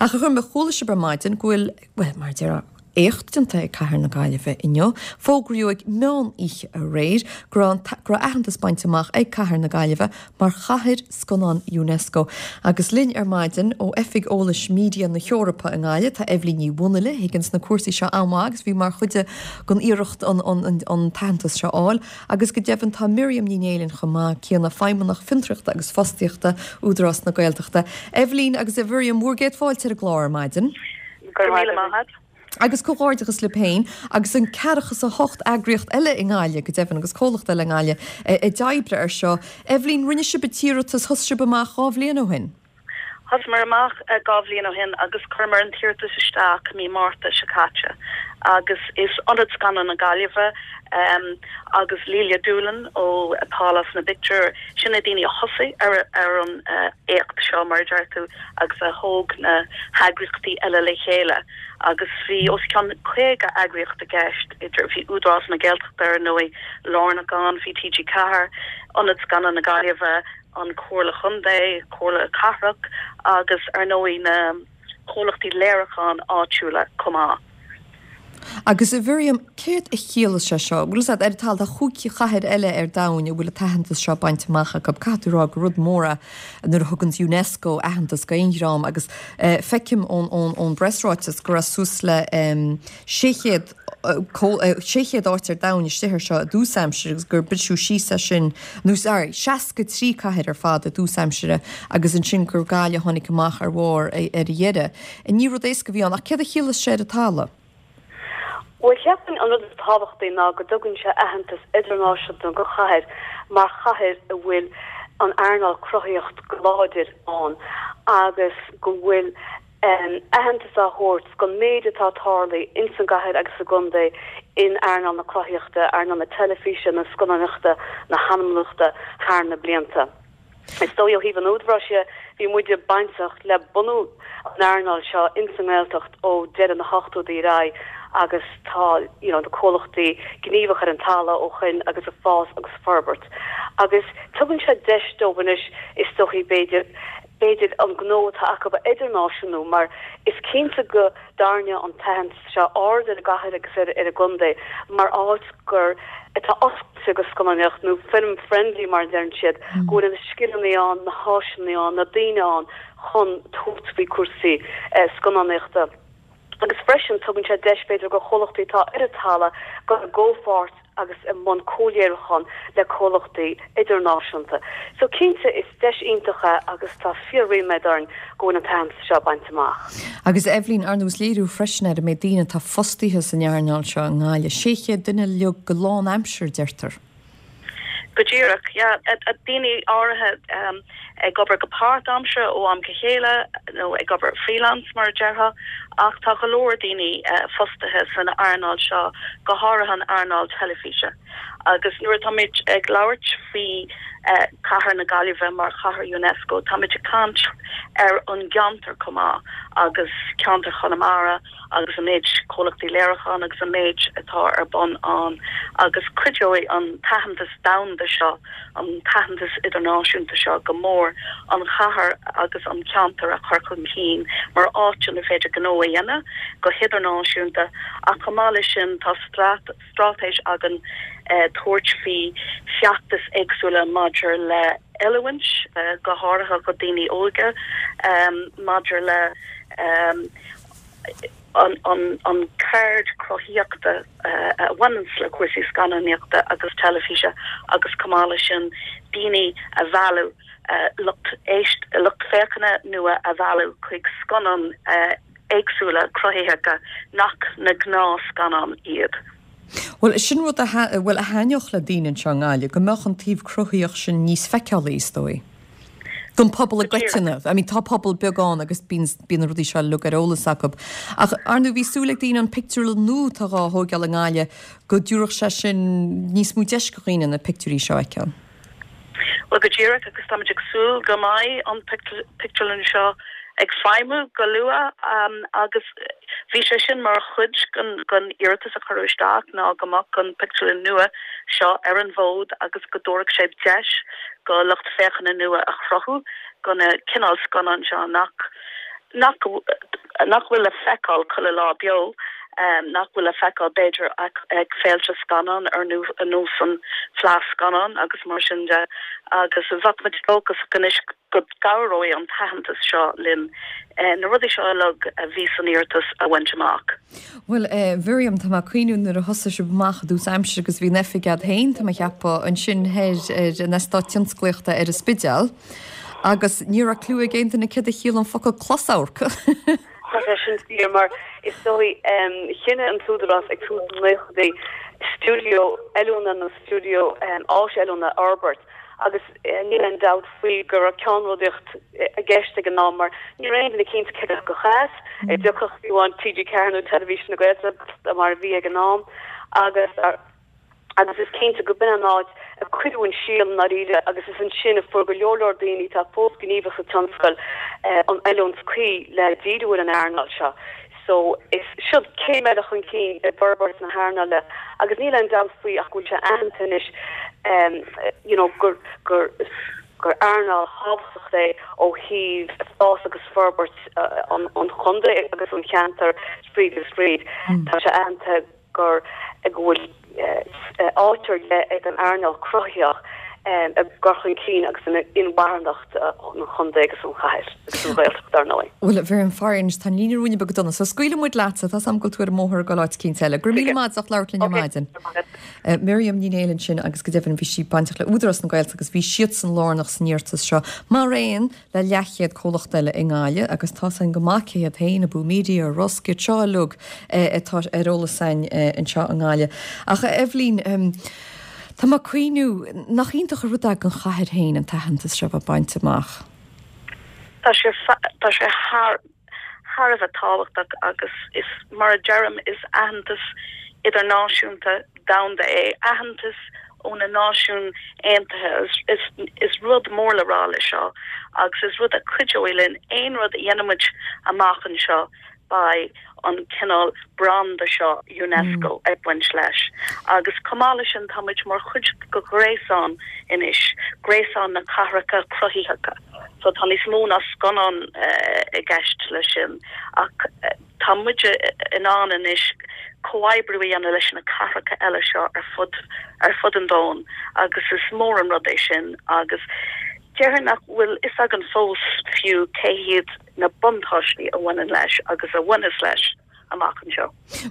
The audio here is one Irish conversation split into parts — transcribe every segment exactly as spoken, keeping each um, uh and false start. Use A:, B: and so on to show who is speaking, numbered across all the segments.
A: Ach a Ghormaigh, chuala sibh ar maidin go bhfuil, bhuel, mar a déarfá, éacht déanta ag Cathair na Gaillimhe inniu. Fógraíodh ag meán oíche aréir go raibh go raibh aitheantas bainte amach ag Cathair na Gaillimhe mar chathair scannán UNESCO. Agus linn ar maidin ó Oifig Eolais Media na hEorpa i nGaillimh tá Eibhlín Ní Mhunghaile, a thuigeann na cúrsaí seo an-mhaith agus bhí mar chuid den iarracht an, an, an, an t-aitheantas seo a fháil. Agus go deimhin tá Miriam Ní Néillin chomh maith céanna Feidhmeannach Fiontraíochta agus Fostaíochta Údarás na Gaeltachta. Eibhlín agus a Mhiriam bhur gcéad fáilte ar an gclár ar maidin.
B: Go raibh míle maith agat.
A: Agus comhghairdeachas libh féin agus an ceathracha is a hocht eagraíocht eile i nGaillimh, go deimhin, agus comhlacht eile i nGaillimh a d'oibrigh air seo. Eibhlín, rinne sibh an t-iarratas, thosaigh sibh amach dhá bhliain ó shin?
B: Thosaíomar amach dhá bhliain ó shin agus chuireamar an t-iarratas isteach mí Márta seo caite agus is Ionad Scannán na Gaillimhe agus Lelia Doolan ó Pálás na bPictiúr, sin na daoine a thosaigh ar ar an éacht seo mar a deir tú agus a thóg na heagraíochtaí eile le chéile. Agus bhí os cionn caoga eagraíocht i gceist, idir, bhí Údarás na Gaeltachta ar ndóigh lárnach ann, bhí TG Ceathair, Ionad Scannán na Gaillimhe, an Chomhairle Chontae, Comhairle Cathrach agus ar ndóigh na comhlachtaí léiriúcháin áitiúla chomh maith.
A: Agus a Mhiriam, céard a chiallaíos sé seo? Bhfuil fhios agat, ar an talamh, tá chúig chathair eile ar domhain a bhfuil an t-aitheantas seo bainte amach acu. Caithfidh tú a rá gur rud mór é nuair a thuganns UNESCO aitheantas d'aon dhream agus feicim ón ón bpreasráiteas go raibh suas le sé chéad sé chéad áit ar domhain istigh air seo i dtús aimsire agus gur briseadh síos é sin, nó sorry, seasca trí cathair ar fad i dtús aimsire agus ansin gur Gaillimh a tháinig amach ar bharr ar a dheireadh. Ní rud éasca a bhí ann ach céard a chiallaíos sé ar an talamh?
C: Bhuel, cheapfainn an rud is tábhachtaí ná go dtugann sé aitheantas idirnáisiúnta go chathair mar chathair a bhfuil an earnáil cruthaitheacht go láidir ann agus go bhfuil aitheantas á thabhairt don méid atá tarlaithe ins an gcathair agus sa gcontae in earnáil na cruthaitheachta, earnáil na teilifíse, na scannánaíochta, na hanamnochta thar na blianta. Is dóigh ó thaobh an Údaráis dhe, bhí muide bainteach le bunú an earnáil seo ins an nGaeltacht ó deireadh na hochtóidí ar aghaidh agus tá you know na comhlachtaí gníomhach ar an talamh ó shoin agus ag fás agus forbairt. Agus tugann sé deis dóibh anois is dóichí b'fhéidir b'fhéidir an gnó atá acu a idirnáisiúnú mar is cinnte go dtarraingeoidh an t-aitheantas seo aird ar an gcathair agus ar ar an gcontae mar áit gur atá oscailte go scannánaíocht nó film friendly mar a deireann siad, go bhfuil na scileanna ann, na háiseanna ann, na daoine ann chun tabhairt faoi cúrsaí scannánaíochta. Agus freisin tugann sé deis b'fhéidir go chomhlachtaí atá ar an talamh dul i gcomhpháirt agus i mbun comhléiriúchán le comhlachtaí idirnáisiúnta. So cinnte is deis iontach é agus tá fíor-ríméad orainn go bhfuil an t-aitheantas seo bainte amach.
A: Agus Eibhlín, ar ndóigh is léiriú freisin ar an méid daoine atá fostaithe san earnáil seo i nGaillimh, sé chéad duine uilig go lánaimseartha, deirtear.
B: Go díreach, yeah. Daoine áirithe ag obair go páirtaimseartha ó am go chéile nó ag obair freelance mar a déarfá, ach tá go leor daoine fostaithe san earnáil seo, go háirithe an earnáil teilifíse. Agus nuair atáimid ag labhairt faoi Cathair na Gaillimhe mar Chathair UNESCO, táimid ag caint ar an gceantar chomh maith agus ceantar Chonamara agus an méid comhlachtaí léiriúcháin agus an méid atá ar bun ann agus cuideoidh an t-aitheantas domhanda seo, an t-aitheantas idirnáisiúnta seo go mór an chathair agus an ceantar a chur chun cinn mar áit inar féidir gnó a dhéanamh go hidirnáisiúnta ach chomh maith leis sin tá straitéis againn tabhairt faoi feachtais éagsúla maidir le oiliúint, go háirithe do daoine óga, maidir le an ceird cruthaíochta a bhaineanns le cúrsaí scannánaíochta agus teilifíse agus chomh maith leis sin daoine a mhealladh, lucht éist, lucht féachana nua a mhealladh chuig scannáin éagsúla cruthaitheacha nach na gnáthscannáin iad.
A: Bhuel, sin rud a, bhuel, a thaitneodh le daoine anseo i nGaillimh, go mbeadh an taobh cruthaíoch sin níos feiceálaí, is dóigh. Don pobal i gcoitinne. I mean, tá pobal beag ann agus bíonn, bíonn na rudaí seo uilig ar eolas acu. Ach, ar ndóigh, bhí súil ag daoine an pictiúrlann nua atá dhá thóigeáil i nGaillimh, go dtabharfadh sé sin níos mó deis do dhaoine na pictiúirí seo a fheiceáil.
B: Bhuel, go díreach, agus táimid ag súil go mbeidh an pictiúrlann seo ag feidhmiú go luath agus bhí sé sin mar chuid den iarratas a cuireadh isteach ná go mbeadh an pictiúrlann nua seo ar an bhfód agus go dtabharfadh sé deis go lucht féachana nua a chruthú go na cineál scannán seo nach nach nach bhfuil le feiceáil chuile lá beo um, nach bhfuil le feiceáil b'fhéidir ag, ag féilte scannán ar nós an Fleadh Scannán agus mar sin de agus bheadh muid dóchasach anois go gcabhróidh an t-aitheantas seo linn eh, na rudaí seo uilig a bhí san iarratas a bhaint amach.
A: Well eh, Miriam tá mé ag cuimhniú nuair a thosaigh sibh amach i dtús aimsire agus bhí an oifig agat féin tá mé ag ceapadh ansin ar ar an eastát tionsclaíochta ar an Spidéal. Agus ní raibh clue ag aon duine céard a chiallaigh an focal closamharc.
C: Tá sé sin fíor mar is dóigh chinn an tÚdarás ag tús na nóchaidí stiúideo oiliúna nó stiúideo áis oiliúna a fhorbairt agus níl aon dabht faoi go raibh ceannródaíocht i gceist ag an am mar ní raibh aon duine cinnte céard go chás ag dtiocfadh fiú an TG Ceathair nó Teilifís na Gaeltachta mar a bhí ag an am agus agus is cinnte go b'in an áit a cuireadh an síol ndáiríre agus is ansin a fuair go leor leor daoine atá fós gníomhach sa tionscal eh, an oiliúint chuí le díriú ar an earnáil seo. So is seo céim eile chun cinn i bhforbairt na hearnála agus níl aon dabht faoi ach go bhfuil sé aitheanta anois um, you know, gur gur gur earnáil thábhachtach é ó thaobh fás agus forbairt uh, an, an chontae agus an cheantar fríd is fríd. Mm. Tá sé aitheanta gur go bhfuil áit ar leith ag an earnáil chruthaitheach i gcur chun cinn agus in inmharthanacht an chontae agus an chathair agus an Ghaeltacht dar ndóigh.
A: Bhuel bhí an fear tá líne ruúine be donna, so scaoilfidh muid leatsa tá am go tú ar móthir go áit cinn eile. Gur mí ach leir linne maidin. Miriam Ní Néill sin agus go deimhin bhí sí bainteach le Údarás na Gaeltachta agus bhí siadsan lárnach san iarratas seo mar aon le leathchéad comhlacht eile i nGaillimh agus tá an go maith céad féin a bú media rosc seo lug atá ar eolas againn anseo i nGaillimh. Ach Eibhlín um, Tá mé ag cuimhniú nach iontach an rud é don chathair féin an t-aitheantas seo a bhaint amach.
B: Tá sé tá sé thar thar a bheith tábhachtach agus is mar a deirim is aitheantas idirnáisiúnta domhanda é aitheantas ó na Náisiúin Aontaithe is, is, is rud mór le rá le seo agus is rud a chuideoidh linn aon rud a dhéanaimid amach anseo beidh an cineál branda seo UNESCO mm. ag baint leis. Agus chomh maith leis sin táimid mar chuid de ghréasán anois, gréasán na cathracha cruthaitheacha. So tá níos mó ná scannán uh, i gceist leis sin ach uh, tá muid in ann anois comhoibriú a dhéanamh leis na cathracha eile seo ar fud ar fud an domhain agus is mór an rud é sin agus déarfainn nach bhfuil a fhios againn fós fiú cé hiad na buntáistí a bhaineann leis agus a bhaineas leis amach anseo.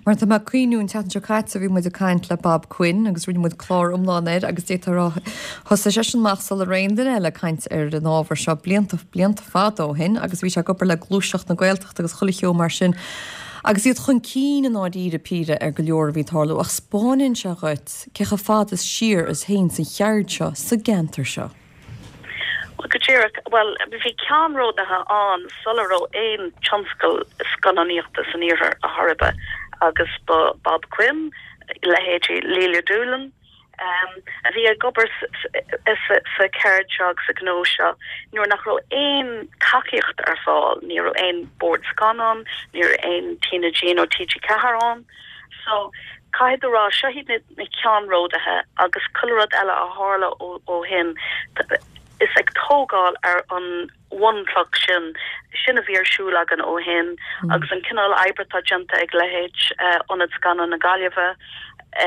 A: Mar tá mé ag cuimhniú an tseachtain seo caite bhí muid ag caint le Bob Quinn agus rinne muid clár iomlán air agus déarfá thosaigh seisean amach sula raibh aon duine eile ag caint ar an ábhar seo blianta blianta fada ó shin agus bhí sé ag obair le gluaiseacht na Gaeltachta agus chuile cheo mar sin. Agus iad chun cinn i ndáiríre píre ar go leor a bhí ag tarlú ach 'spáineann sé dhuit cé chomh fada is siar is théann an cheird seo sa gceantar seo.
B: Well, go díreach well bhí ceannródaithe ann sula raibh aon tionscal scannánaíochta san iarthar a tharla agus ba Bob Quinn leithéidí Lelia Doolan um, a bhí ag obair sa cheird seo agus sa ghnó seo nuair nach raibh aon tacaíocht ar fáil, ní raibh aon bord scannán, ní raibh aon TnaG nó TG Ceathair ann. So caithfidh tú rá seo iad na, na ceannródaithe agus chuile rud eile a tharla ó shin is ag tógáil ar an bhunchloch sin sin a bhí ar siúl againn ó shin mm. agus an cineál oibre atá déanta ag leithéid uh, Ionad Scannán na Gaillimhe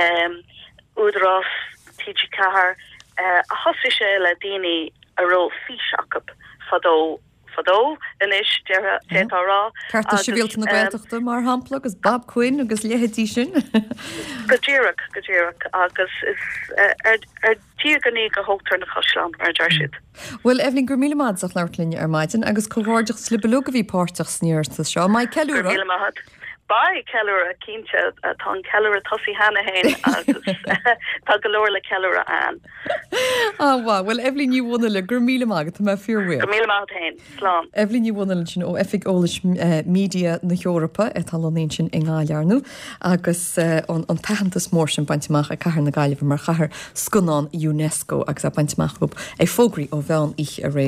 B: um, Údarás TG Ceathair uh, a thosaigh sé le daoine a raibh fís acu fadó fadó anois déarfá rá.
A: Cearta Sibhialta na Gaeltachta mar shampla agus Bob Quinn agus leithéidí sin.
B: Go díreach go díreach agus is uh, ar ar tí go go thógtar na caisleáin mar a deir siad.
A: Well Eibhlín gur míle maith agat labhairt linn ar maidin agus comhghairdeas libh uilig a bhí páirteach san iarratas seo, Mai ceiliúradh?
B: Beidh ceiliúradh cinnte tá an ceiliúradh tosaithe cheana féin agus tá go leor le ceiliúradh ann.
A: Ah well Eibhlín Ní Mhunghaile gur míle maith tá mé fíorbhuíoch.
B: Go míle maith féin slán.
A: Eibhlín Ní Mhunghaile sin ó Oifig Eolais Media na hEorpa atá lonnaithe sin i nGaillimh agus an an t-aitheantas mór sin bainte amach ag Cathair na Gaillimhe mar chathair scannán UNESCO agus a bainte amach ag fógraí ó mheán oíche aréir.